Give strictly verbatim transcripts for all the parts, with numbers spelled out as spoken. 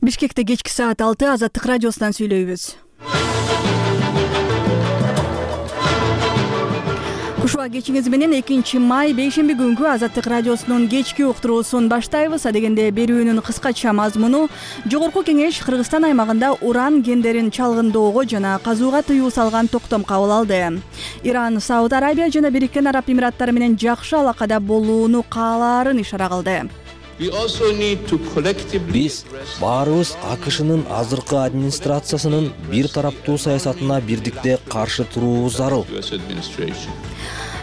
Бишкекте кечки саат алты Азаттык радиосунан сүйлөйбүз. Кушуа кечиңиз менен экинчи май бейшемби күнгү Азаттык радиосунун кечки уктуруусун баштайбыз. Адегенде берүүнүн кыскача мазмуну: Жогорку Кеңеш Кыргызстан аймагында уран кендерин чалгындоого жана казууга тыюу салган токтом кабыл алды. Иран, Сауд Арабия жана Бириккен Араб Эмираттары менен жакшы алакада болууну каалаарын ишара кылды. Биз баарыбыз АКШнын азыркы администрациясынын бир тараптуу саясатына бирдикте каршы туруубуз зарыл.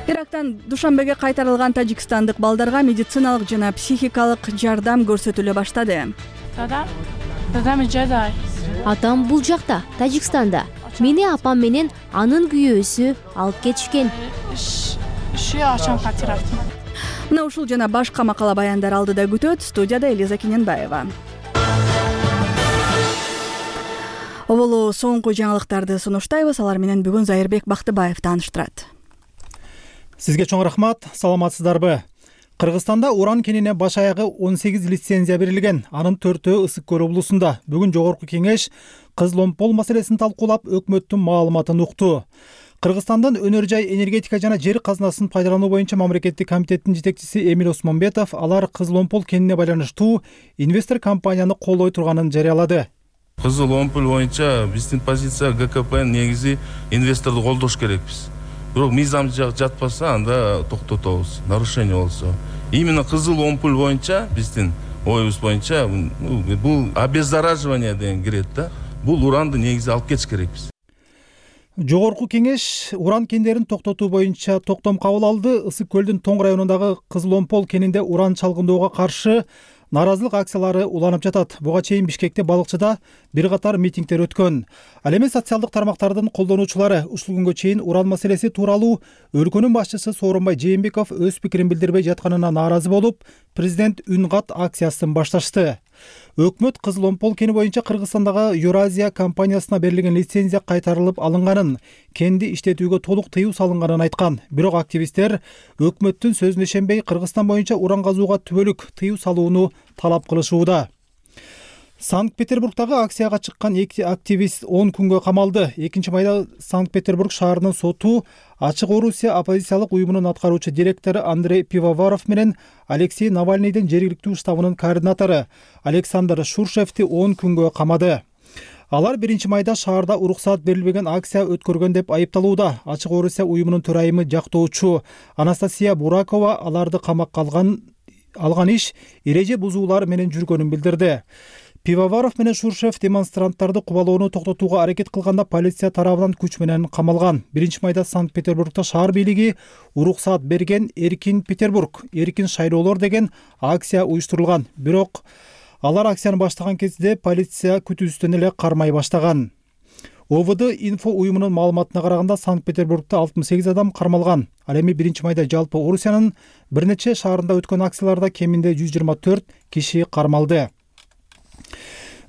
Ирактан Душанбеге кайтарылган тажикстандык балдарга медициналык жана психикалык жардам көрсөтүлө баштады. Атам бул жакта, Тажикстанда. Мени апам менен анын күйөөсү алып кетишкен. Мына ушул жана башка макала баяндар алдыда күтөт. Студияда Элиза Кененбаева. Оболу соңку жаңылыктарды сунуштайбыз. Алар менен бүгүн Зайырбек Бактыбаев тааныштырат. Сизге чоң рахмат. Саламатсыздарбы? Кыргызстанда уран кенине баш аягы он сегиз лицензия берилген. Анын төртөө Ысык Көл облусунда. Бүгүн Жогорку Кеңеш Кызыл-Омпол маселесин талкуулап, өкмөттүн маалыматын укту. Кыргызстандын өнөр жай, энергетика жана жер казынасын пайдалануу боюнча мамлекеттик комитеттин жетекчиси Эмил Осмонбетов алар Кызыл-Омпол кенине байланыштуу инвестор компанияны колдой турганын жарыялады. Кызыл-Омпол боюнча биздин позиция ГКПнын негизи инвесторду колдош керекпиз. Бирок мыйзам жатпаса анда токтотобуз, нарушение болсо. Именно Кызыл-Омпол боюнча биздин оюбуз боюнча бул обеззараживание деген кирет да. Бул уранды негизи алып кетиш керекпиз. Жогорку Кеңеш уран кендерин токтотуу боюнча токтом кабыл алды. Ысык Көлдүн Тоң районундагы Кызыл-Омпол кенинде уран чалгындоого каршы наразылык акциялары уланып жатат. Буга чейин Бишкекте, Балыкчыда бир катар митингдер өткөн. Ал эми социалдык тармактардын колдонуучулары ушул күнгө чейин уран маселеси тууралуу өлкөнүн башчысы Сооронбай Жээнбеков өз пикирин билдирбей жатканына нааразы болуп, президент үн кат акциясын башташты. Өкмөт Кызыл-Омпол кени боюнча Кыргызстандагы Евразия компаниясына берилген лицензия кайтарылып алынганын, кенди иштетүүгө толук тыюу салынганын айткан. Бирок активисттер өкмөттүн сөзүнө ишенбей, Кыргызстан боюнча уран казууга түбөлүк тыюу салууну талап кылышууда. Санкт-Петербургдагы акцияга чыккан эки активист он күнгө камалды. экинчи майда Санкт-Петербург шаарынын соту Ачык Орусия оппозициялык уюмунун аткаруучу директору Андрей Пивоваров менен Алексей Навальныйдын жергиликтүү штабынын координатору Александр Шуршевти он күнгө камады. Алар биринчи майда шаарда уруксаат берилбеген акция өткөргөн деп айыпталууда. Ачык Орусия уюмунун төрайымы жактоочу Анастасия Буракова аларды камакка алган алган иш эреже бузуулар менен жүргөнүн билдирди. Пивоваров менен Шуршев демонстранттарды кубалоону токтотууга аракет кылганда полиция тарабынан күч менен камалган. биринчи майда Санкт-Петербургда шаар бийлиги уруксаат берген Эркин Петербург, эркин шайлоолор деген акция уюштурулган. Бирок алар акцияны баштаган кезде полиция күтүүсүздөн эле кармай баштаган. ОВД инфо уюмунун маалыматына караганда Санкт-Петербургда алтымыш сегиз адам кармалган. Ал эми биринчи майда жалпы Орусиянын бир нече шаарында өткөн акцияларда кеминде жүз жыйырма төрт киши кармалды.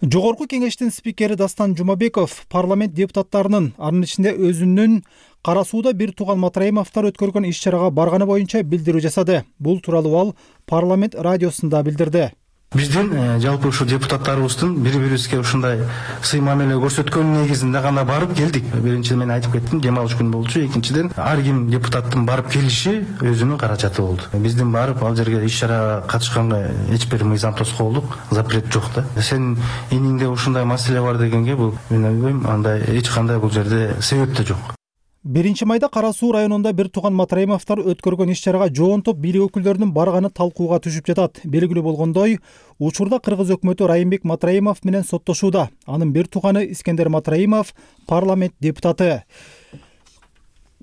Жогорку Кеңештин спикери Дастан Жумабеков парламент депутаттарынын, анын ичинде өзүнүн Кара сууда бир тууган Матраимовдор өткөргөн иш-чарага барганы боюнча билдирүү жасады. Бул тууралуу ал парламент радиосунда билдирди. Биздин жалпы ушу депутаттарыбыздын бири-бирибизге ушундай сый мамиле көрсөткөн негизинде гана барып келдик. Биринчиден мен айтып кеттим, дем алыш күнү болчу. Экинчиден ар ким депутаттын барып келиши өзүнүн каражаты болду. Биздин барып ал жерге иш-чарага катышканга эч бир мыйзам тоскоолдук, запрет жок да. Сен эниңде ушундай маселе бар дегенге бул мен ойлойм, андай эч кандай бул жерде себеп да жок. биринчи майда Кара суу районунда бир тууган Матраимовдор өткөргөн иш-чарага жоон топ бийлик өкүлдөрүнүн барганы талкууга түшүп жатат. Белгилүү болгондой, учурда Кыргыз өкмөтү Райымбек Матраимов менен соттошууда. Анын бир тууганы Искендер Матраимов парламент депутаты.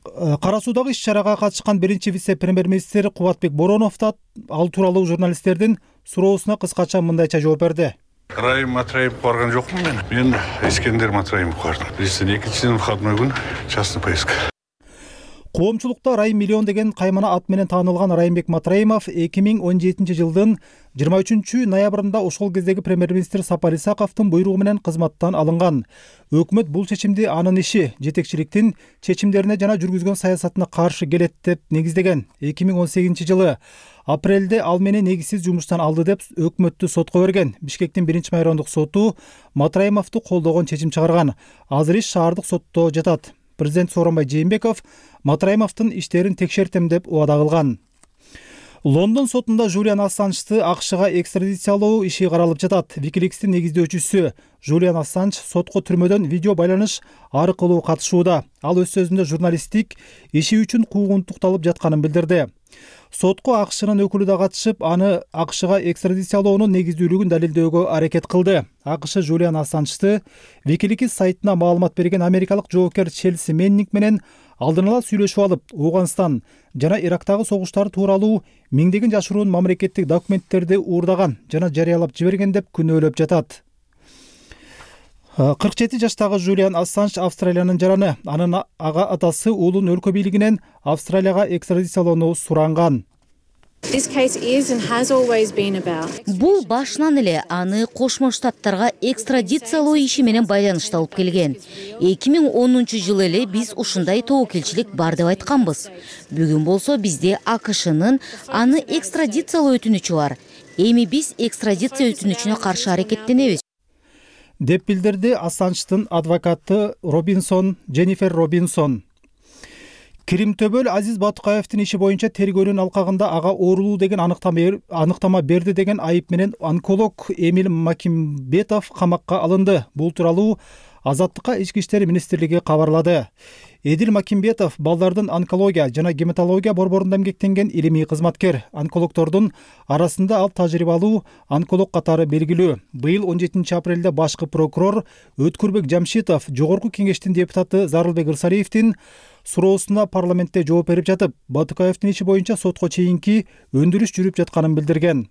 Кара суудагы иш-чарага катышкан биринчи вице-премьер-министр Кубатбек Боронов да ал тууралуу журналисттердин суроосуна кыскача мындайча жооп берди. Райым Матраимов барган жокмун мен. Мен Искендер Матраимов бардым. Биздин экинчиден выходной күн частный поездка. Коомчулукта Райым миллион деген каймана ат менен таанылган Райымбек Матраимов эки миң он жетинчи жылдын жыйырма үчүнчү ноябрында ошол кездеги премьер-министр Сапар Исаковдун буйругу менен кызматтан алынган. Өкмөт бул чечимди анын иши, жетекчиликтин чечимдерине жана жүргүзгөн саясатына каршы келет деп негиздеген. эки миң он сегизинчи жылы апрелде ал мени негизсиз жумуштан алды деп өкмөттү сотко берген. Бишкектин биринчи майрондук соту Матраимовду колдогон чечим чыгарган. Азыр иш шаардык сотто жатат. Президент Сооронбай Жээнбеков Матраимовдун иштерин текшертем деп убада кылган. Лондон сотунда Жулиан Ассанжды АКШга экстрадициялоо иши каралып жатат. Wikileaks'тин негиздөөчүсү Жулиан Ассанж сотко түрмөдөн видео байланыш аркылуу катышууда. Ал өз сөзүндө журналисттик иши үчүн куугунтукталып жатканын билдирди. Сотко АКШнын өкүлү да катышып, аны АКШга экстрадициялоонун негиздүүлүгүн далилдөөгө аракет кылды. АКШ Жулиан Ассанжды Wikileaks сайтына маалымат берген америкалык жоокер Челси Меннинг менен алдын ала сүйлөшүп алып, Ооганстан жана Ирактагы согуштар тууралуу миңдеген жашыруун мамлекеттик документтерди уурдаган жана жарыялап жиберген деп күнөөлөп жатат. кырк жети жаштагы Жулиан Ассанж Австралиянын жараны. Анын ага атасы уулун өлкө бийлигинен Австралияга экстрадициялоону суранган. Бул башынан эле аны Кошмо Штаттарга экстрадициялоо иши менен байланышталып келген. эки миң онунчу жылы эле биз ушундай тобокелчилик бар деп айтканбыз. Бүгүн болсо бизде АКШнын аны экстрадициялоо өтүнүчү бар. Эми биз экстрадиция өтүнүчүнө каршы аракеттенебиз деп билдирди Ассанждын адвокаты Робинсон, Дженнифер Робинсон. Киримтөбөл Азиз Батукаевдин иши боюнча тергөөнүн алкагында ага оорулуу деген аныктама берди деген айып менен онколог Эмил Макимбетов камакка алынды. Бул тууралуу Азаттыкка Ички иштер министрлиги кабарлады. Эдил Макимбетов балдардын онкология жана гематология борборунда эмгектенген илимий кызматкер. Онкологдордун арасында ал тажрыйбалуу онколог катары белгилүү. Быйыл он жетинчи апрелде башкы прокурор Өткүрбек Жамшитов Жогорку Кеңештин депутаты Зарылбек Ырсалиевдин суроосуна парламентте жооп берип жатып, Батукаевдин иши боюнча сотко чейинки өндүрүш жүрүп жатканын билдирген.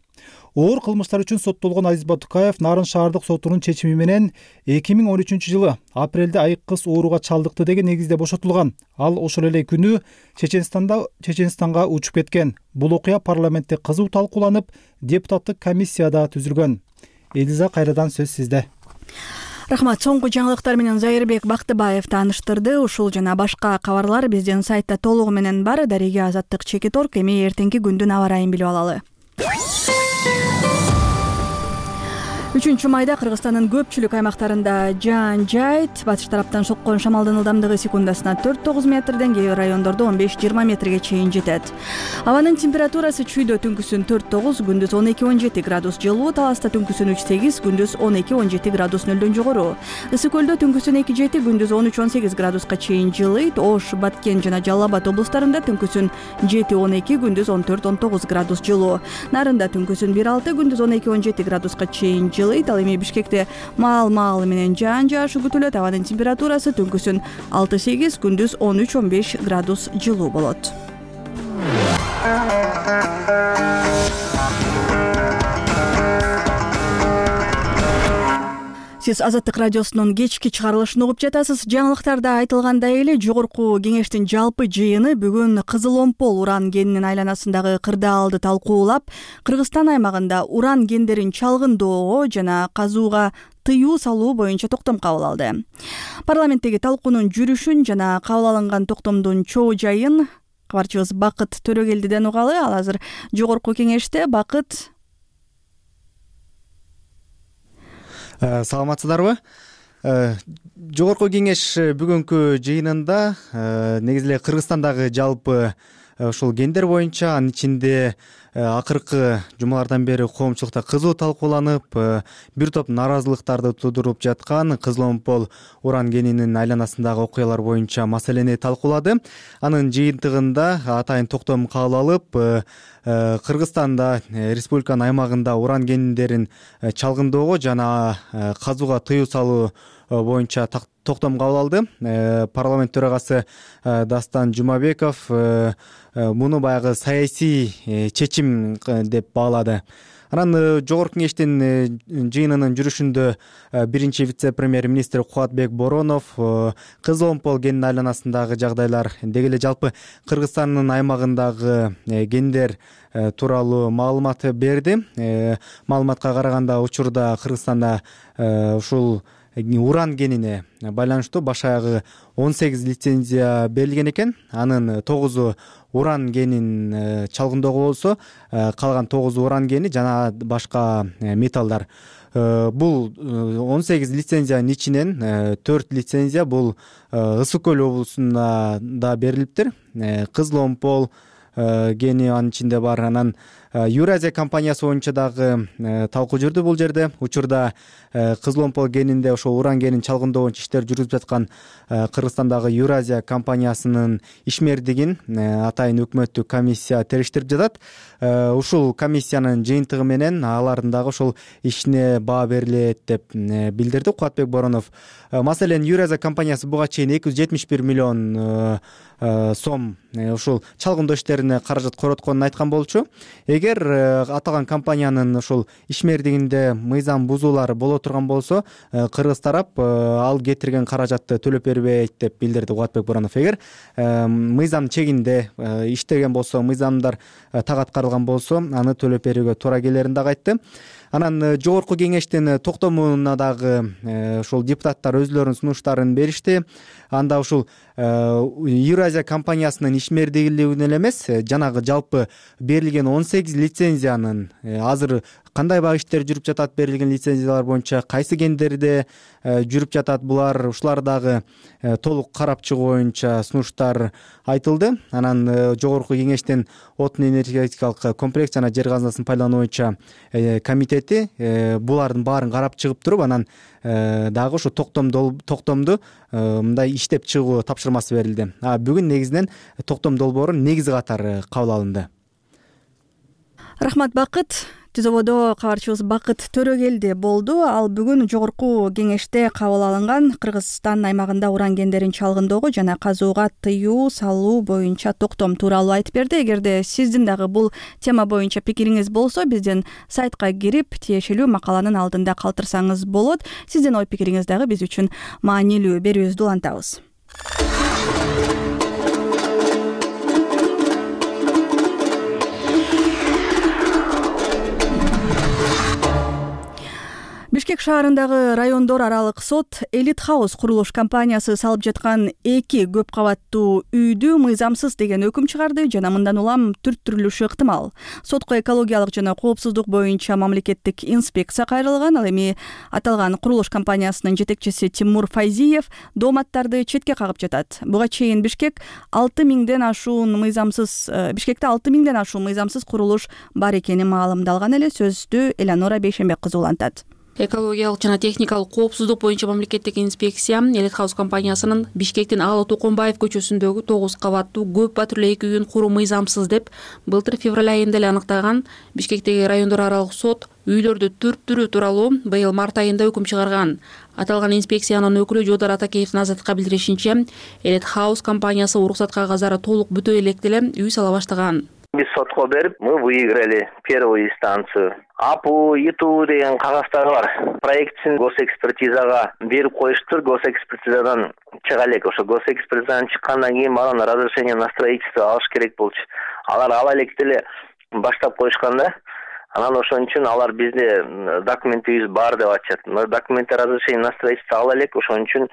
Оор кылмыштар үчүн соттолгон Азиз Батукаев Нарын шаардык сотунун чечими менен эки миң он үчүнчү жылы апрелде айык кыз ооруга чалдыкты деген негизде бошотулган. Ал ошол эле күнү Чеченстанда Чеченстанга учуп кеткен. Бул окуя парламентте кызуу талкууланып, депутаттык комиссия да түзүлгөн. Элиза, кайрадан сөз сизде. Рахмат. Соңку жаңылыктар менен Зайырбек Бактыбаев тааныштырды. Ушул жана башка кабарлар биздин сайтта толугу менен бар. Дареге Азаттык Чекит орг. Эми эртеңки күндүн аба ырайын билип алалы. үчүнчү майда Кыргызстандын көпчүлүк аймактарында жаан жайт, батыш тараптан соккон шамалдын ылдамдыгы секундасына төрт тогуз метрден, кээ бир райондордо он беш жыйырма метрге чейин жетет. Абанын температурасы чүйдө түнкүсүн төрт тогуз, күндүз он эки он жети градус жылуу, Таласта түнкүсүн үч сегиз, күндүз он эки он жети градус нөлдөн жогору. Ысык көлдө түнкүсүн эки жети, күндүз он үч он сегиз градуска чейин жылыйт. Ош, Баткен жана Жалал Абад облустарында түнкүсүн жети он эки, күндүз он төрт он тогуз градус жылуу. Нарында түнкүсүн бир алты, күндүз он эки он жети градуска чейин жылыйт. Ал эми Бишкекте маал-маалы менен жаан жаашы күтүлөт. Абанын температурасы түнкүсүн алты сегиз, күндүз он үч он беш градус жылуу болот. Сиз Азаттык радиосунун кечки чыгарылышын угуп жатасыз. Жаңылыктарда айтылгандай эле Жогорку Кеңештин жалпы жыйыны бүгүн Кызыл Омпол уран кенинин айланасындагы кырдаалды талкуулап, Кыргызстан аймагында уран кендерин чалгындоого жана казууга тыюу салуу боюнча токтом кабыл алды. Парламенттеги талкуунун жүрүшүн жана кабыл алынган токтомдун чоо жайын кабарчыбыз Бакыт Төрөгелдиден угалы. Ал азыр Жогорку Кеңеште. Бакыт, саламатсыздарбы? Жогорку Кеңеш бүгүнкү жыйынында негизи эле Кыргызстандагы жалпы ушул кендер боюнча, анын ичинде акыркы жумалардан бери коомчулукта кызуу талкууланып, бир топ нааразылыктарды туудуруп жаткан Кызыл Омпол уран кенинин айланасындагы окуялар боюнча маселени талкуулады. Анын жыйынтыгында атайын токтом кабыл алып, Кыргызстанда республиканын аймагында уран кендерин чалгындоого жана казууга тыюу салуу боюнча токтом кабыл алды. Парламент төрагасы Дастан Жумабеков муну баягы саясий чечим деп баалады. анан жогорку кеңештин жыйынынын жүрүшүндө биринчи вице-премьер министр Кубатбек Боронов кызыл омпол генин айланасындагы жагдайлар, деги эле жалпы Кыргызстандын аймагындагы гендер тууралуу маалымат берди. Маалыматка караганда учурда Кыргызстанда ушул уран генине байланыштуу баш аягы он сегиз лицензия берилген экен. Анын тогузу уран генин чалгындоого болсо, калган тогузу уран гени жана башка металлдар. Бул он сегиз лицензиянын ичинен төрт лицензия бул Ысык көл облусунда да берилиптир. Кызыл омпол гени анын ичинде бар. Анан Юразия компаниясы боюнча дагы талкуу жүрдү бул жерде. Учурда кызыл омпол генинде ошо уран генин чалгындоо боюнча иштер жүргүзүп жаткан Кыргызстандагы Юразия компаниясынын ишмердигин атайын өкмөттүк комиссия териштирип жатат. Ушул комиссиянын жыйынтыгы менен алардын дагы ошол ишине баа берилет деп билдирди Кубатбек Боронов. Маселен, Юразия компаниясы буга чейин эки жүз жетимиш бир миллион сом ушул чалгындоо иштерине каражат коротконун айткан болчу. Эгер аталган компаниянын ушул ишмердигинде мыйзам бузуулары боло турган болсо, кыргыз тарап ал кетирген каражатты төлөп бербейт деп билдирди Кубатбек Боронов. Эгер мыйзам чегинде иштеген болсо, мыйзамдар так аткарылган болсо, аны төлөп берүүгө туура келерин дагы айтты. Анан жогорку кеңештин токтомуна дагы ушул депутаттар өзлөрүнүн сунуштарын беришти. Анда ушул Юразия компаниясынын ишмердигилигин эле эмес, жанагы жалпы берилген он сегиз лицензиянын азыр кандай бак иштер жүрүп жатат, берилген лицензиялар боюнча кайсы гендерде жүрүп жатат, булар ушулар дагы толук карап чыгуу боюнча сунуштар айтылды. Анан жогорку кеңештин отун энергетикалык комплекс жана жер казынасын пайдалануу боюнча комитети булардын баарын карап чыгып туруп, анан дагы ушу токтомду мындай иштеп чыгуу тапшырмасы берилди. А бүгүн негизинен токтом долбоору негизи катары кабыл алынды. Рахмат, Бакыт. Түзөбодо кабарчыбыз Бакыт Төрөгелди болду. Ал бүгүн жогорку кеңеште кабыл алынган Кыргызстан аймагында уран гендерин чалгындоого жана казууга тыюу салуу боюнча токтом тууралуу айтып берди. Эгерде сиздин дагы бул тема боюнча пикириңиз болсо, биздин сайтка кирип, тиешелүү макаланын алдында калтырсаңыз болот. Сиздин ой пикириңиз дагы биз үчүн маанилүү. Берүүбүздү улантабыз. Бишкек шаарындагы райондор аралык сот Элит Хаус курулуш компаниясы салып жаткан эки көп кабаттуу үйдү мыйзамсыз деген өкүм чыгарды жана мындан улам түрттүрүлүшү ыктымал. Сотко экологиялык жана коопсуздук боюнча мамлекеттик инспекция кайрылган. Ал эми аталган курулуш компаниясынын жетекчиси Тимур Файзиев дооматтарды четке кагып жатат. Буга чейин Бишкек алты миңден ашуун мыйзамсыз Бишкекте алты миңден ашуун мыйзамсыз курулуш бар экени маалымдалган эле. Сөздү Эланора Бейшенбек кызы улантат. Экологиялык жана техникалык коопсуздук боюнча мамлекеттик инспекция Элит Хаус компаниясынын Бишкектин Алы Токонбаев көчөсүндөгү тогуз кабаттуу көп батирлүү эки үйүн куруу мыйзамсыз деп былтыр февраль айында эле аныктаган. Бишкектеги райондор аралык сот үйлөрдү түрттүрүү тууралуу быйыл март айында өкүм чыгарган. Аталган инспекциянын өкүлү Жодар Атакеевдин Азаттыкка билдиришинче, Элит Хаус компаниясы уруксат кагаздары толук бүтө электе эле үй сала баштаган. Биз сотко берип, мы выиграли первую инстанцию. АПУ, ИТУ деген кагаздары бар. Проектсин госэкспертизага берип коюштур. Госэкспертизадан чыга элек. Ошо госэкспертизадан чыккандан кийин баран разрешение на строительство алыш керек болчу. Алар ала электе эле баштап коюшканда, анан ошон үчүн алар бизде документибиз бар деп атышат. Документте разрешение на строительство ала элек, ошон үчүн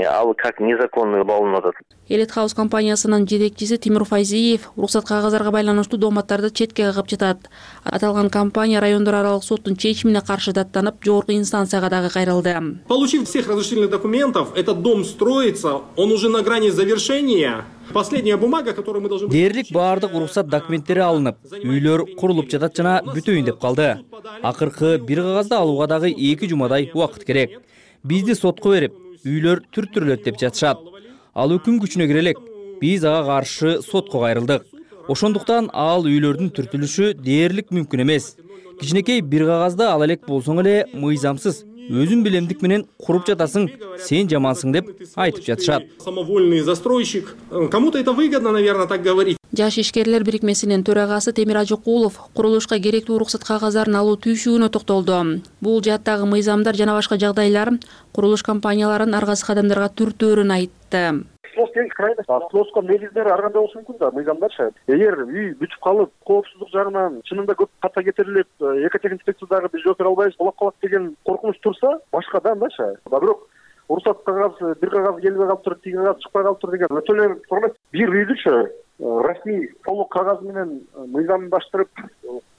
ал как незаконный болуп атат. Элит Хаус компаниясынын жетекчиси Тимур Файзиев уруксат кагаздарга байланыштуу дооматтарды четке кагып жатат. Аталган компания райондор аралык соттун чечимине каршы даттанып, жогорку инстанцияга дагы кайрылды. Получив всех разрешительных документов, этот дом строится, он уже на грани завершения. Последняя бумага, которую мы должны... Дээрлик баардык уруксат документтери алынып, үйлөр курулуп жатат жана бүтөйүн деп калды. Акыркы бир кагазды алууга дагы эки жумадай убакыт керек. Бизди сотко берип, үйлөр түрттүрүлөт деп жатышат. Ал өкүм күчүнө кире элек. Биз ага каршы сотко кайрылдык. Ошондуктан ал үйлөрдүн түртүлүшү дээрлик мүмкүн эмес. Кичинекей бир кагазды ала элек болсоң эле мыйзамсыз, өзүн билемдик менен куруп жатасың, сен жамансың деп айтып жатышат. Самовольный застройщик. Кому-то это выгодно, наверное, так говорить. Жаш ишкерлер бирикмесинин төрагасы Темир Ажыкулов курулушка керектүү уруксат кагаздарын алуу түйшүгүнө токтолду. Бул жааттагы мыйзамдар жана башка жагдайлар курулуш компанияларын аргасыз кадамдарга түртөөрүн айтты. Слоско негиздери ар кандай болушу мүмкүн да мыйзамдарчы. Эгер үй бүтүп калып, коопсуздук жагынан чынында көп ката кетирилип, экотехник инспекциядагы биз жооп бере албайбыз, кулап калат деген коркунуч турса, башка да андачы. Бирок уруксат кагаз, бир кагаз келбей калыптыр, тиги кагаз чыкпай калыптыр деген өтө эле турмайт. Бир үйдүчү расмий толук кагаз менен мыйзамдаштырып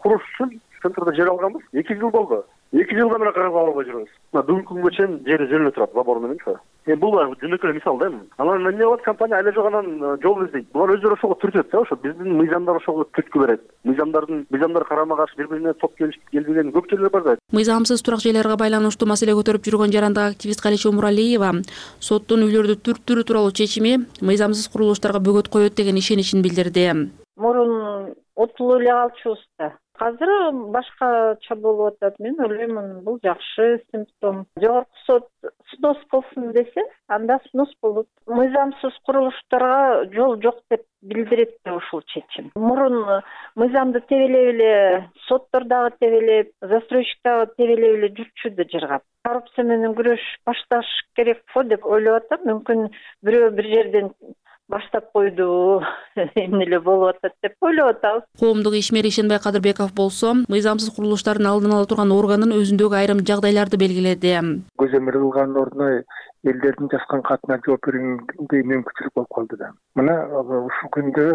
куруш үчүн центрде жер алганбыз. эки жыл болду. эки жылдан бери кагаз ала албай жүрөбүз. Бүгүнкү күнгө чейин жери жөнүнө турат, забор мененчи. Эми бул жөнөкөй мисал да. Анан эмне болот? Компания айла жок анан жол издейт. Булар өздөрү ошого түртөт да, ошо биздин мыйзамдар ошого түрткү берет. Мыйзамдардын мыйзамдар карама каршы бири-бирине топ келишип келбеген көп жерлер бар да. Мыйзамсыз турак жайларга байланыштуу маселе көтөрүп жүргөн жарандык активист Калеча Умуралиева соттун үйлөрдү түрттүрүү тууралуу чечими мыйзамсыз курулуштарга бөгөт коет деген ишеничин билдирди. Мурун утулуп эле калчубуз да. Азыр башкача болуп атат. Мен ойлоймун, бул жакшы симптом. Жогорку сот снос кылсын десе, анда снос болот. Мыйзамсыз курулуштарга жол жок деп билдирет да ушул чечим. Мурун мыйзамды тебелеп эле, соттор дагы тебелеп, застройщик дагы тебелеп эле жүрчү да жыргап. Коррупция менен күрөш башташ керек го деп ойлоп атам. Мүмкүн бирөө бир жерден баштап койду, эмне эле болуп атат деп ойлоп атабыз. Коомдук ишмер Ишенбай Кадырбеков болсо, мыйзамсыз курулуштардын алдын ала турган органын өзүндөгү айрым жагдайларды белгиледи. Көзөмөл кылгандын ордуна элдердин жазган катына жооп бергенде мүмкүнчүлүк болуп калды да. Мына ушул күндө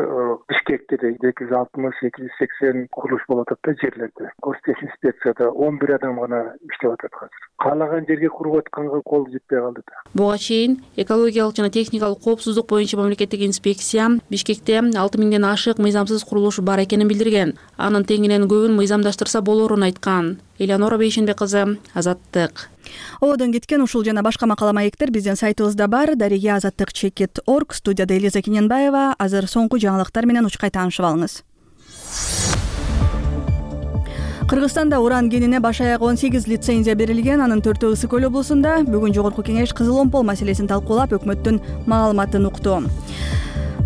Бишкекте эки жүз алтымыш эки жүз сексен курулуш болуп атат да жерлерде. Гостех инспекцияда он бир адам гана иштеп атат азыр. Каалаган жерге куруп атканга кол жетпей калды да. Буга чейин экологиялык жана техникалык коопсуздук боюнча мамлекеттик инспекция Бишкекте алты миңден ашык мыйзамсыз курулуш бар экенин билдирген. Анын теңинен көбүн мыйзамдаштырса болорун айткан. Элеонора Бейшенбек кызы, Азаттык. Ободон кеткен ушул жана башка макала маектер биздин сайтыбызда бар. Дарига Азаттык чекит точка орг, студияда Элиза Кененбаева. Азыр соңку жаңылыктар менен учкай таанышып алыңыз. Кыргызстанда уран кенине баш аяк он сегиз лицензия берилген. Анын төртөө Ысык Көл облусунда. Бүгүн жогорку кеңеш кызыл омпол маселесин талкуулап, өкмөттүн маалыматын укту.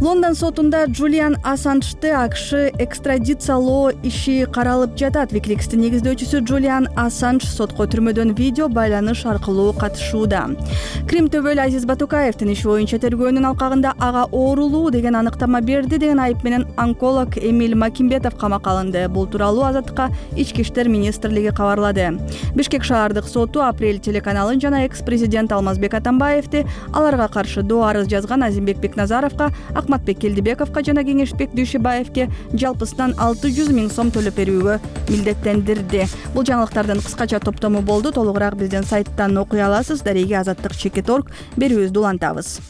Лондон сотунда Джулиан Ассанжды АКШ экстрадициялоо иши каралып жатат. Wikileaks'тин негиздөөчүсү Джулиан Ассанж сотко түрмөдөн видео байланыш аркылуу катышууда. Крим төбөлү Азиз Батукаевдин иши боюнча тергөөнүн алкагында ага оорулуу деген аныктама берди деген айып менен онколог Эмиль Макимбетов камакка алынды. Бул тууралуу Азаттыкка Ички иштер министрлиги кабарлады. Бишкек шаардык соту Апрель телеканалын жана экс-президент Алмазбек Атамбаевди аларга каршы доо арыз жазган Азимбек Бекназаровго, Акматбек Келдибековго жана Кеңешбек Дүйшөбаевге жалпысынан алты жүз миң сом төлөп берүүгө милдеттендирди. Бул жаңылыктардын кыскача топтому болду. Толугураак биздин сайттан окуй аласыз. Дарига Азаттык чекит точка орг берүүбүздү улантабыз.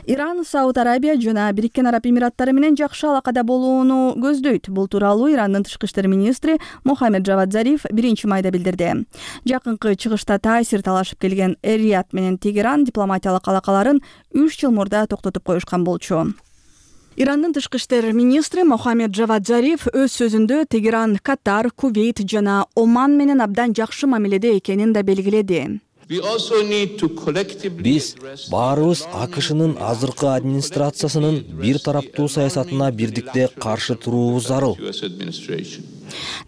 Иран, Сауд Арабия жана Бириккен Араб Эмираттары менен жакшы алакада болууну көздөйт. Бул тууралуу Ирандын тышкы иштер министри Мохаммед Джавад Зариф биринчи майда билдирди. Жакынкы чыгышта таасир талашып келген Эр-Рияд менен Тегеран дипломатиялык алакаларын үч жыл мурда токтотуп коюшкан болчу. Ирандын тышкы иштер министри Мохаммед Джавад Зариф өз сөзүндө Тегеран, Катар, Кувейт жана Оман менен абдан жакшы мамиледе экенин да белгиледи. Биз баарыбыз АКШнын азыркы администрациясынын бир тараптуу саясатына бирдикте каршы туруубуз зарыл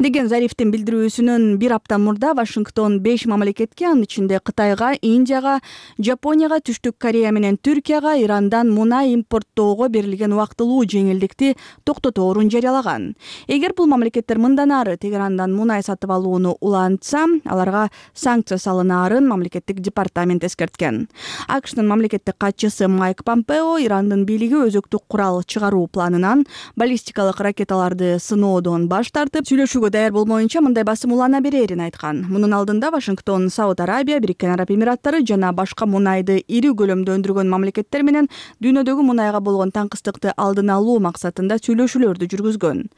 деген Зарифтин билдирүүсүнөн бир апта мурда Вашингтон беш мамлекетке, анын ичинде Кытайга, Индияга, Жапонияга, Түштүк Корея менен Түркияга Ирандан мунай импорттоого берилген убактылуу жеңилдикти токтоторун жарыялаган. Эгер бул мамлекеттер мындан ары Тегерандан мунай сатып алууну улантса, аларга санкция салынаарын мамлекеттик департамент эскерткен. АКШнын мамлекеттик катчысы Майк Помпео Ирандын бийлиги өзөктүк курал чыгаруу планынан баллистикалык ракеталарды сыноодон баш тартып, сүйлөшүүгө даяр болмоюнча мындай басым улана берерин айткан. Мунун алдында Вашингтон, Сауд Арабия, Бириккен Араб Эмираттары жана башка мунайды ири көлөмдө өндүргөн мамлекеттер менен дүйнөдөгү мунайга болгон таңкыстыкты алдын алуу максатында сүйлөшүүлөрдү жүргүзгөн.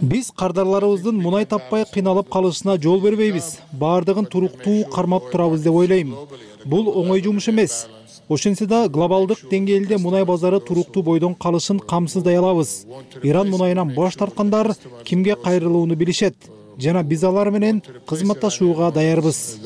Биз кардарларыбыздын мунай таппай кыйналып калышына жол бербейбиз. Баардыгын туруктуу кармап турабыз деп ойлойм. Бул оңой жумуш эмес. Ошентсе да глобалдык деңгээлде мунай базары туруктуу бойдон калышын камсыздай алабыз. Иран мунайынан баш тарткандар кимге кайрылууну билишет. жана биз алар менен кызматташууга даярбыз,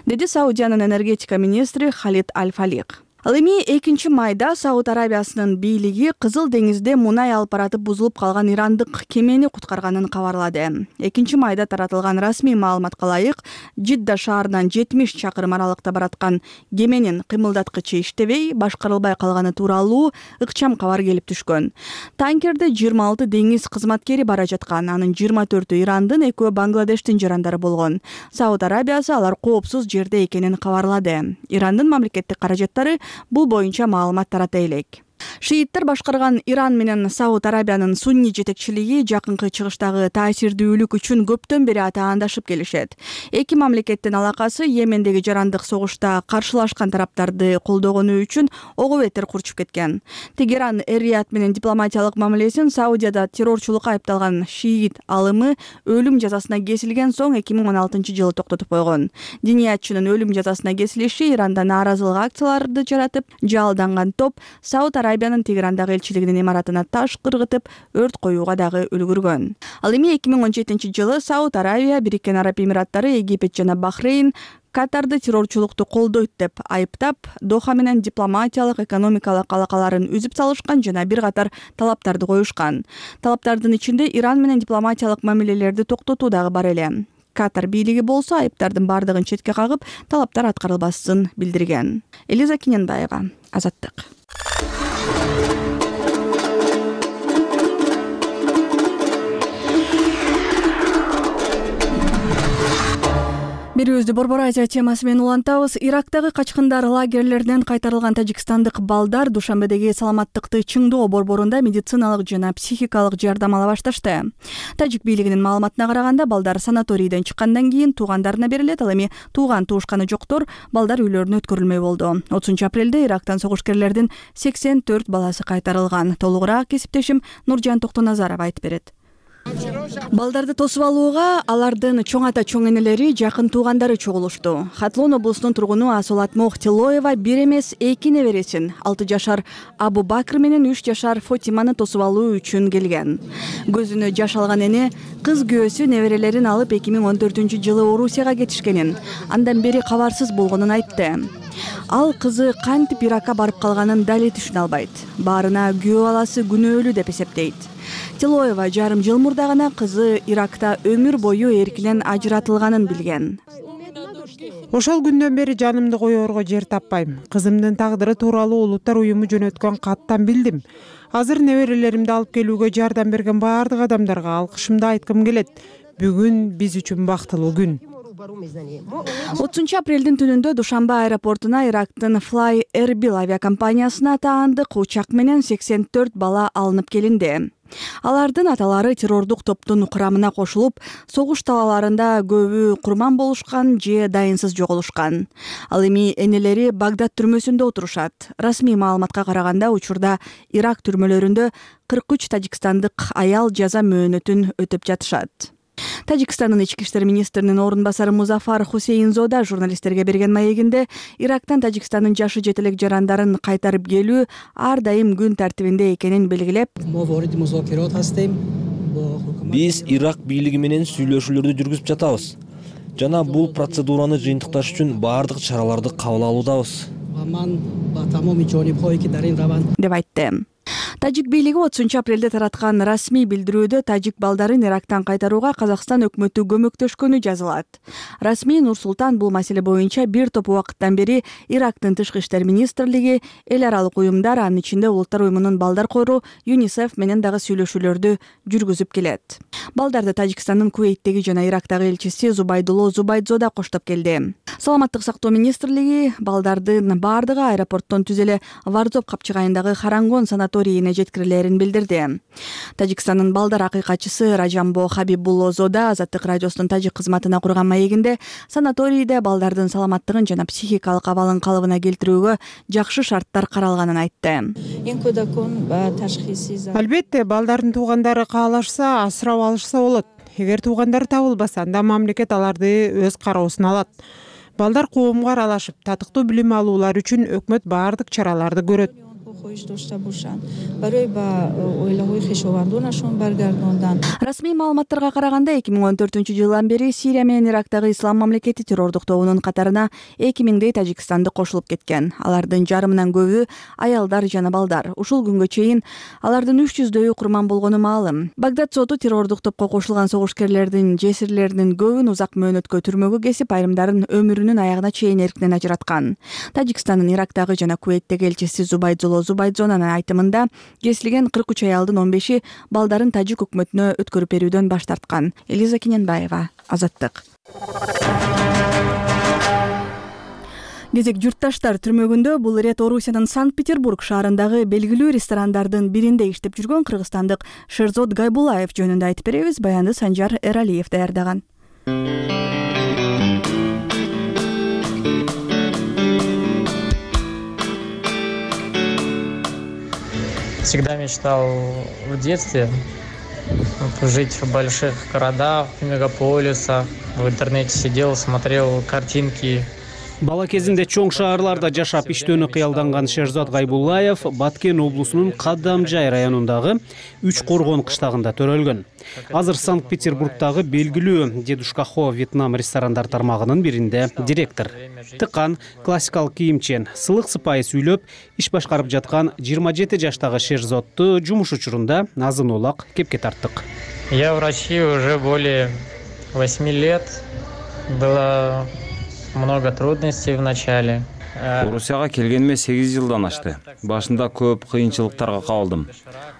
деди Саудиянын энергетика министри Халид Аль-Фалик. Ал эми экинчи майда Сауд Арабиясынын бийлиги Кызыл деңизде мунай алып баратып бузулуп калган ирандык кемени куткарганын кабарлады. экинчи майда таратылган расмий маалыматка ылайык, Жидда шаарынан жетимиш чакырым аралыкта бараткан кеменин кыймылдаткычы иштебей, башкарылбай калганы тууралуу ыкчам кабар келип түшкөн. Танкерде жыйырма алты деңиз кызматкери бара жаткан, анын жыйырма төртү Ирандын, экөө Бангладештин жарандары болгон. Сауд Арабиясы алар коопсуз жерде экенин кабарлады. Ирандын мамлекеттик каражаттары бул боюнча маалымат тарата элек. Шииттер башкарган Иран менен Сауд Арабиянын сунни жетекчилиги жакынкы чыгыштагы таасирдүүлүк үчүн көптөн бери атаандашып келишет. Эки мамлекеттин алакасы Йемендеги жарандык согушта каршылашкан тараптарды колдогону үчүн ого бетер курчуп кеткен. Тегеран Эр-Рияд менен дипломатиялык мамилесин Саудияда террорчулукка айыпталган шиит алымы өлүм жазасына кесилген соң эки миң он алтынчы жылы токтотуп койгон. Диниятчынын өлүм жазасына кесилиши Иранда нааразылык акцияларды жаратып, жалданган топ Сауд Арабиянын Тегерандагы элчилигинин имаратына таш кыргытып, өрт коюуга дагы үлгүргөн. Ал эми эки миң он жетинчи жылы Сауд Арабия, Бириккен Араб Эмираттары, Египет жана Бахрейн Катарды террорчулукту колдойт деп айыптап, Доха менен дипломатиялык, экономикалык алакаларын үзүп салышкан жана бир катар талаптарды коюшкан. Талаптардын ичинде Иран менен дипломатиялык мамилелерди токтотуу дагы бар эле. Катар бийлиги болсо айыптардын бардыгын четке кагып, талаптар аткарылбасын билдирген. Элиза Киненбаева, Азаттык. Берүүбүздү Борбор Азия темасы менен улантабыз. Ирактагы качкындар лагерлеринен кайтарылган тажикстандык балдар душанбедеги саламаттыкты чыңдоо борборунда медициналык жана психикалык жардам ала башташты. Тажик бийлигинин маалыматына караганда, балдар санаторийден чыккандан кийин туугандарына берилет, ал эми тууган туушканы жоктор балдар үйлөрүнө өткөрүлмөй болду. отузунчу апрелде Ирактан согушкерлердин сексен төрт баласы кайтарылган. Толугураак кесиптешим Нуржан Токтоназаров айтып берет. Балдарды тосуп алууга алардын чоң ата чоң энелери, жакын туугандары чогулушту. Хатлон облусунун тургуну Асолат Мохтилоева бир эмес эки небересин, алты жашар Абу Бакр менен үч жашар Фотиманы тосуп алуу үчүн келген. Көзүнө жаш алган эне кыз күйөөсү неберелерин алып эки миң он төртүнчү жылы Орусияга кетишкенин, андан бери кабарсыз болгонун айтты. Ал кызы кантип Иракка барып калганын дали түшүнө албайт. Баарына күйөө баласы күнөөлүү деп эсептейт. Тилоева жарым жыл мурда гана кызы Иракта өмүр бою эркинен ажыратылганын билген. Ошол күндөн бери жанымды коерго жер таппайм. Кызымдын тагдыры тууралуу Улуттар уюму жөнөткөн каттан билдим. Азыр неберелеримди алып келүүгө жардам берген баардык адамдарга алкышымды айткым келет. Бүгүн биз үчүн бактылуу күн. отузунчу апрелдин түнүндө Душанбе аэропортуна Ирактын Fly Erbil авиакомпаниясына таандык учак менен сексен төрт бала алынып келинди. Алардын аталары террордук топтун курамына кошулуп, согуш талааларында көбү курман болушкан же дайынсыз жоголушкан. Ал эми энелери Багдад түрмөсүндө отурушат. Расмий маалыматка караганда, учурда Ирак түрмөлөрүндө кырк үч тажикстандык аял жаза мөөнөтүн өтөп жатышат. Тажикстандын ички иштер министринин орун басары Музафар Хусейнзода журналисттерге берген маегинде Ирактан Тажикстандын жашы жетелек жарандарын кайтарып келүү ар дайым күн тартибинде экенин белгилеп, биз Ирак бийлиги менен сүйлөшүүлөрдү жүргүзүп жатабыз жана бул процедураны жыйынтыкташ үчүн баардык чараларды кабыл алуудабыз деп айтты. Тажик бийлиги отузунчу апрелде тараткан расмий билдирүүдө тажик балдарын Ирактан кайтарууга Казакстан өкмөтү көмөктөшкөнү жазылат. Расмий Нур-Султан бул маселе боюнча бир топ убакыттан бери Ирактын тышкы иштер министрлиги, эл аралык уюмдар, анын ичинде Улуттар уюмунун балдар кору ЮНИСЕФ менен дагы сүйлөшүүлөрдү жүргүзүп келет. Балдарды Тажикстандын Кувейттеги жана Ирактагы элчиси Зубайдулло Зубайдзода коштоп келди. Саламаттык сактоо министрлиги балдардын баардыгы аэропорттон түз эле Варзоп капчыгайындагы Харангон санаторийине жеткирилерин билдирди. Тажикстандын балдар акыйкатчысы Ражамбо Хабибулло Зода Азаттык радиосунун тажик кызматына курган маегинде санаторийде балдардын саламаттыгын жана психикалык абалын калыбына келтирүүгө жакшы шарттар каралганын айтты. Албетте, балдардын туугандары каалашса, асырап алышса болот. Эгер туугандары табылбаса, анда мамлекет аларды өз кароосуна алат. Балдар коомго аралашып, татыктуу билим алуулар үчүн өкмөт баардык чараларды көрөт. Расмий маалыматтарга караганда эки миң он төртүнчү жылдан бери Сирия менен Ирактагы ислам мамлекети террордук тобунун катарына эки миңдей тажикстанды кошулуп кеткен. Алардын жарымынан көбү аялдар жана балдар. Ушул күнгө чейин алардын үч жүздөйү курман болгону маалым. Багдад соту террордук топко кошулган согушкерлердин жесирлеринин көбүн узак мөөнөткө түрмөгө кесип, айрымдарын өмүрүнүн аягына чейин эркинен ажыраткан. Тажикстандын Ирактагы жана Кувейттеги элчиси Зубайдзоло Зубайдзонанын айтымында кесилген кырк үч аялдын он беши балдарын тажик өкмөтүнө өткөрүп берүүдөн баш тарткан. Элиза Кененбаева, Азаттык. Кезек журтташтар түрмөгүндө бул ирет Орусиянын Санкт-Петербург шаарындагы белгилүү ресторандардын биринде иштеп жүргөн кыргызстандык Шерзод Гайбулаев жөнүндө айтып беребиз. Баянды Санжар Эралиев даярдаган. Всегда мечтал в детстве жить в больших городах, в мегаполисах. В интернете сидел, смотрел картинки. Бала кезинде чоң шаарларда жашап иштөөнү кыялданган Шерзод Гайбулаев Баткен облусунун Кадамжай районундагы Үч Коргон кыштагында төрөлгөн. Азыр Санкт-Петербургдагы белгилүү Дедушка Хо Вьетнам ресторандар тармагынын биринде директор. Тыкан, классикалык кийимчен, сылык сыпайы сүйлөп иш башкарып жаткан жыйырма жети жаштагы Шерзодду жумуш учурунда азын улак кепке тарттык. Я в России уже более восьми лет. Было много трудностей в начале. Орусияга келгениме сегиз жылдан ашты. Башында көп кыйынчылыктарга кабылдым.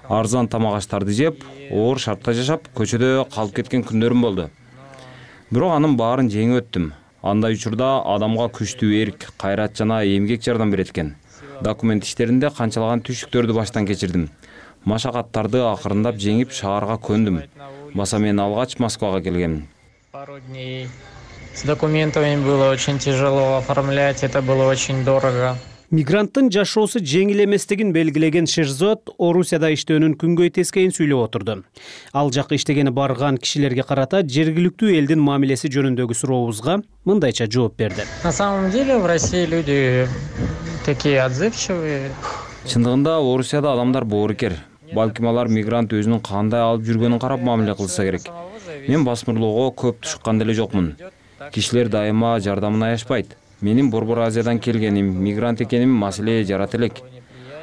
Арзан тамак аштарды жеп, оор шартта жашап, көчөдө калып кеткен күндөрүм болду. Бирок анын баарын жеңип өттүм. Андай учурда адамга күчтүү эрк, кайрат жана эмгек жардам берет экен. Документ иштеринде канчалаган түйшүктөрдү баштан кечирдим. Машакаттарды акырындап жеңип шаарга көндүм. Баса мен алгач Москвага келгем. С документами было очень тяжело оформлять, это было очень дорого. Мигранттын жашоосу жеңил эместигин белгилеген Шерзод Орусияда иштөөнүн күнгөй тескейин сүйлөп отурду. Ал жакка иштегени барган кишилерге карата жергиликтүү элдин мамилеси жөнүндөгү сурообузга мындайча жооп берди. На самом деле в России люди такие отзывчивые. Чындыгында Орусияда адамдар боорукер. Балким алар мигрант өзүнүн кандай алып жүргөнүн карап мамиле кылса керек. Мен басмырлоого көп тушкан деле жокмун. Кишилер дайыма жардамын аяшпайт. Менин Борбор Азиядан келгеним, мигрант экеним маселе жарата элек.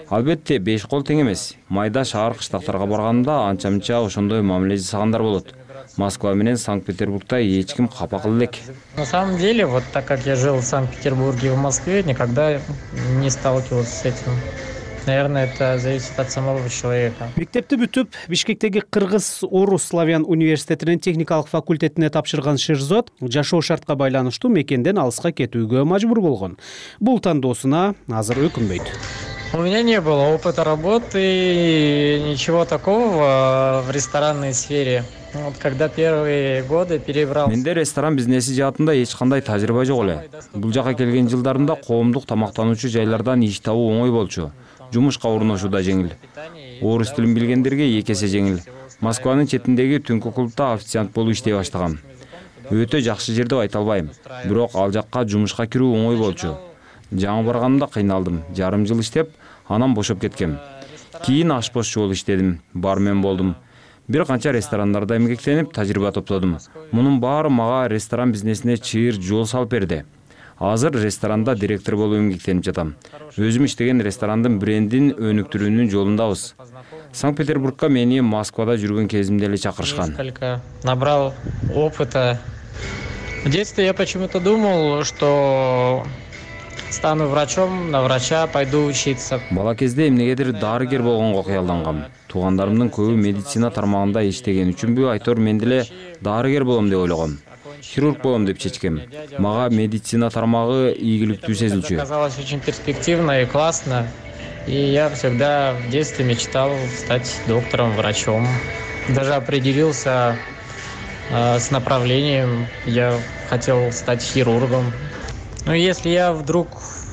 Албетте беш кол тең эмес. Майда шаар кыштактарга барганда анча-мынча ошондой мамиле жасагандар болот. Москва менен Санкт-Петербургда эч ким капа кыла элек. На самом деле, вот так как я жил в Санкт-Петербурге и в Москве, никогда не сталкивался с этим. Наверное, это зависит от самого человека. Мектепти бүтүп, Бишкектеги Кыргыз-Орус славян университетинин техникалык факультетине тапшырган Шерзод жашоо шартка байланыштуу мекенден алыска кетүүгө мажбур болгон. Бул тандоосуна азыр өкүнбөйт. У меня не было опыта работы, ничего такого в ресторанной сфере. Вот когда первые годы перебрал. Менде ресторан бизнеси жаатында эч кандай тажрыйба жок эле. Бул жака келген жылдарымда коомдук тамактануучу жайлардан иш табуу оңой болчу. Жумушка орношуу да жеңил. Орус тилин билгендерге эки эсе жеңил. Москванын четиндеги түнкү клубда официант болуп иштей баштагам. Өтө жакшы жер деп айта албайм. Бирок ал жакка жумушка кирүү оңой болчу. Жаңы барганымда кыйналдым. Жарым жыл иштеп, анан бошоп кеткем. Кийин ашпозчу болуп иштедим. Бармен болдум. Бир канча ресторандарда эмгектенип, тажрыйба топтодум. Мунун баары мага ресторан бизнесине чыйыр жол салып берди. Азыр ресторанда директор болуп эмгектенип жатам. Өзүм иштеген ресторандын брендин өнүктүрүүнүн жолундабыз. Санкт-Петербургка мени Москвада жүргөн кезимде эле чакырышкан. Набрал опыта. В детстве я почему-то думал, что стану врачом, на врача пойду учиться. Бала кезде эмнегедир дарыгер болгонго кыялдангам. Туугандарымдын көбү медицина тармагында иштеген үчүнбү айтор мен деле дарыгер болом деп ойлогом. Хирург болом деп чечкем. Мага медицина тармагы ийгиликтүү сезилчү. Казалось очень перспективно и классно. И я всегда в детстве мечтал стать доктором, врачом. Даже определился э, с направлением. Я хотел стать хирургом. Но если я вдруг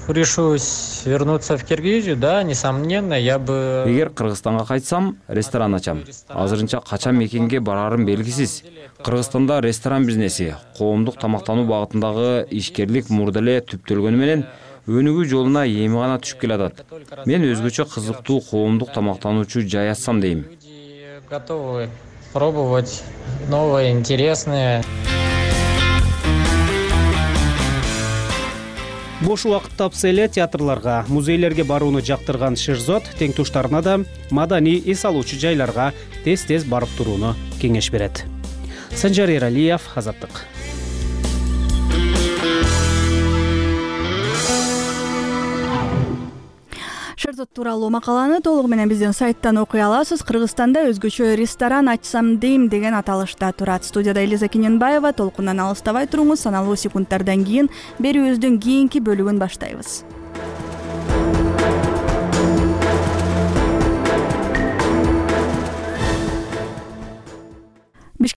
решусь вернуться в Киргизию, да, несомненно, я бы... Эгер Кыргызстанга кайтсам, ресторан ачам. Азырынча качан мекенге барарым белгисиз. Кыргызстанда ресторан бизнеси, коомдук тамактануу багытындагы ишкерлик мурда эле түптөлгөнү менен өнүгүү жолуна эми гана түшүп келатат. Мен өзгөчө кызыктуу коомдук тамактануучу жай ачсам дейм. Готовы пробовать новое, интересное. Бош убакыт тапса эле театрларга, музейлерге барууну жактырган Шерзод тең туштарына да маданий эс алуучу жайларга тез-тез барып турууну кеңеш берет. Санжар Эралиев, Азаттык. Шерзод тууралуу макаланы толугу менен биздин сайттан окуй аласыз. Кыргызстанда өзгөчө ресторан ачсам дейм деген аталышта турат. Студияда Элиза Кененбаева. Толкундан алыстабай туруңуз. Саналуу секундтардан кийин берүүбүздүн кийинки бөлүгүн баштайбыз.